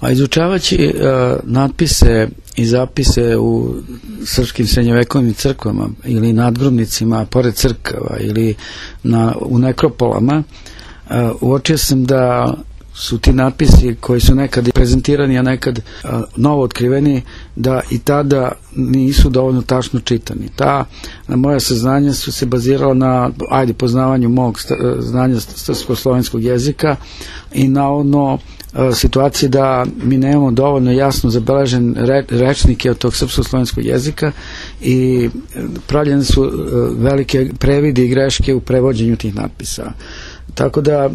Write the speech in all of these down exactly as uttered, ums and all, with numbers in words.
A izučavajući uh, natpise i zapise u srpskim srednjovekovnim crkvama ili nadgrobnicima pored crkava ili na, u nekropolama, uh, uočio sam da su ti natpisi koji su nekad prezentirani, a nekad a, novo otkriveni, da i tada nisu dovoljno tačno čitani. Ta na moja saznanja su se bazirala na, ajde, poznavanju mog znanja srpsko-slovenskog jezika i na ono situacije da mi nemamo dovoljno jasno zabeležen re, rečnike od tog srpsko-slovenskog jezika i pravljene su velike previdi i greške u prevođenju tih natpisa. Tako da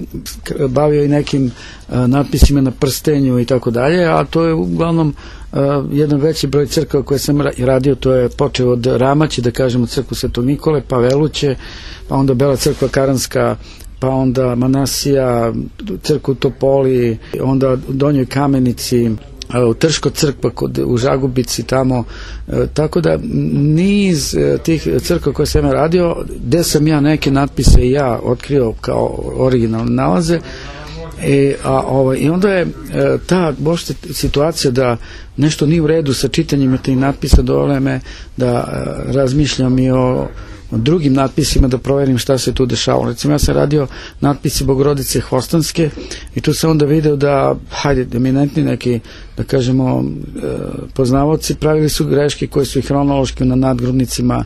bavio i nekim a, natpisima na prstenju i tako dalje, a to je uglavnom a, jedan veći broj crkava koje sam radio, to je počeo od Ramaće, da kažemo crkvu Svetog Nikole, pa Veluće, pa onda Bela crkva Karanska, pa onda Manasija, crkvu Topoli, onda u Donjoj Kamenici, u Trško crkva kod, u Žagubici tamo, e, tako da niz e, tih crkva koje sam ja radio, gde sam ja neke natpise i ja otkrio kao originalne nalaze, e, a, ovaj, i onda je e, ta bošte situacija da nešto nije u redu sa čitanjem tih natpisa dovela me da e, razmišljam i o drugim natpisima, da proverim šta se tu dešavalo. Recimo, ja sam radio natpisi Bogorodice Hvostanske i tu sam onda video da, hajde, eminentni neki, da kažemo, poznavaoci pravili su greške koje su i hronološki na nadgrobnicima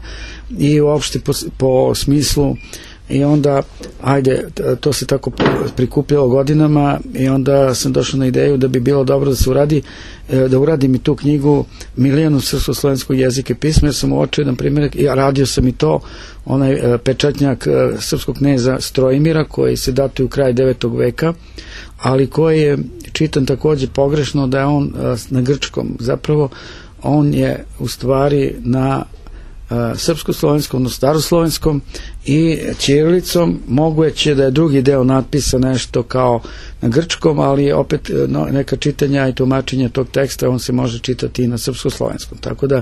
i uopšte po, po smislu, i onda, ajde, to se tako prikupljalo godinama i onda sam došao na ideju da bi bilo dobro da se uradi, da uradim i tu knjigu Milijanu srpsko-slovenskog jezika i pisma, jer sam uočio jedan primjer, ja radio sam i to, onaj pečatnjak srpskog kneza Strojimira koji se datuje u kraj devetog veka, ali koji je čitan takođe pogrešno, da je on na grčkom. Zapravo on je u stvari na srpsko-slovenskom, no staroslovenskom i ćirilicom. Moguće da je drugi deo natpisa nešto kao na grčkom, ali opet no, neka čitanja i tumačenja tog teksta on se može čitati i na srpsko-slovenskom. Tako da,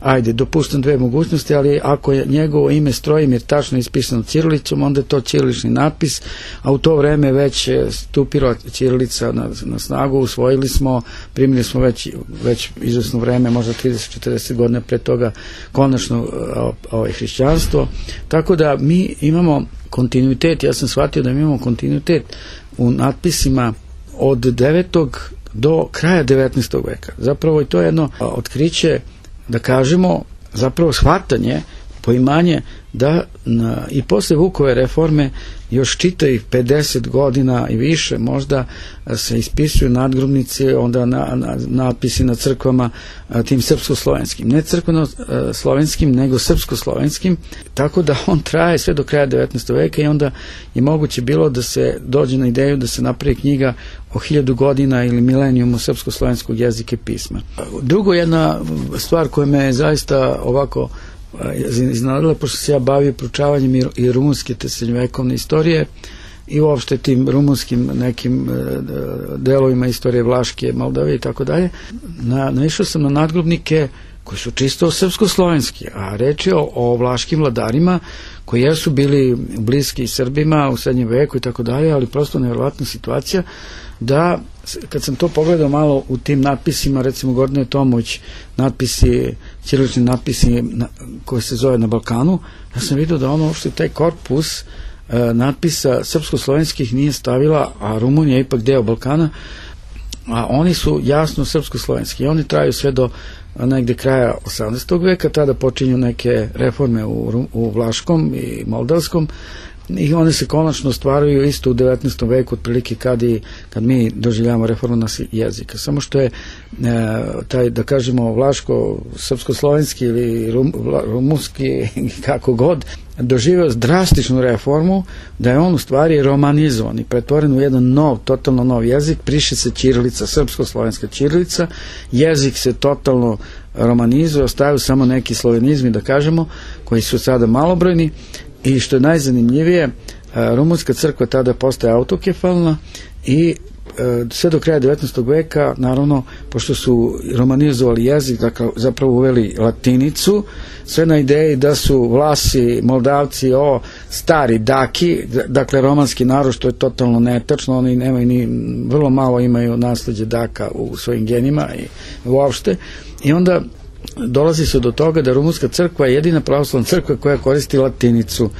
ajde, dopustam dve mogućnosti, ali ako je njegovo ime Strojimir tačno ispisano ćirilicom, onda je to ćirilični natpis, a u to vreme već stupila ćirilica na, na snagu, usvojili smo, primili smo već, već izvesno vreme, možda trideset do četrdeset godina pre toga, konačno ovaj hrišćanstvo. Tako da mi imamo kontinuitet, ja sam shvatio da mi imamo kontinuitet u natpisima od devetog do kraja devetnaestog veka. Zapravo i to je jedno otkriće, da kažemo, zapravo shvatanje, poimanje da na, i posle Vukove reforme još čitavih pedeset godina i više možda se ispisuju nadgrobnice, onda na, na, natpisi na crkvama a, tim srpsko-slovenskim. Ne crkveno-slovenskim, nego srpsko-slovenskim, tako da on traje sve do kraja devetnaestog veka i onda je moguće bilo da se dođe na ideju da se napravi knjiga o hiljadu godina ili milenijumu srpsko-slovenskog jezika i pisma. Drugo, jedna stvar koja me je zaista ovako iznenadila, pošto se ja bavio proučavanjem i, i rumunske te srednjovekovne istorije i uopšte tim rumunskim nekim delovima istorije Vlaške, Moldavije i tako dalje, naišao sam na nadgrobnike koji su čisto srpsko-slovenski, a reč je o, o vlaškim vladarima koji jesu bili bliski Srbima u srednjem veku i tako dalje, ali prosto nevjerovatna situacija da kad sam to pogledao malo u tim natpisima, recimo Gordane Tomović, natpisi, ćirilični natpisi na, koji se zove Na Balkanu, ja sam vidio da ono uopšte taj korpus e, natpisa srpsko-slovenskih nije stavila, a Rumunija je ipak deo Balkana, a oni su jasno srpsko-slovenski i oni traju sve do negde kraja osamnaestog veka, tada počinju neke reforme u, u Vlaškom i Moldavskom i one se konačno stvaraju isto u devetnaestom veku, otprilike kad, i, kad mi doživljamo reformu nas jezika. Samo što je e, taj, da kažemo, vlaško-srpsko-slovenski ili rum, vla, rumunski, kako god, doživio drastičnu reformu, da je on u stvari romanizovan i pretvoren u jedan nov, totalno nov jezik, priše se ćirilica, srpsko-slovenska ćirilica, jezik se totalno romanizuje, ostaju samo neki slovenizmi, da kažemo, koji su sada malobrojni. I što je najzanimljivije, rumunska crkva tada postaje autokefalna i sve do kraja devetnaestog veka, naravno, pošto su romanizovali jezik, dakle, zapravo uveli latinicu, sve na ideji da su Vlasi, Moldavci, o stari Daki, dakle, romanski narod, što je totalno netačno, oni nemaju ni, vrlo malo imaju nasleđe Daka u svojim genima i uopšte, i onda dolazi se do toga da Rumunska crkva je jedina pravoslavna crkva koja koristi latinicu.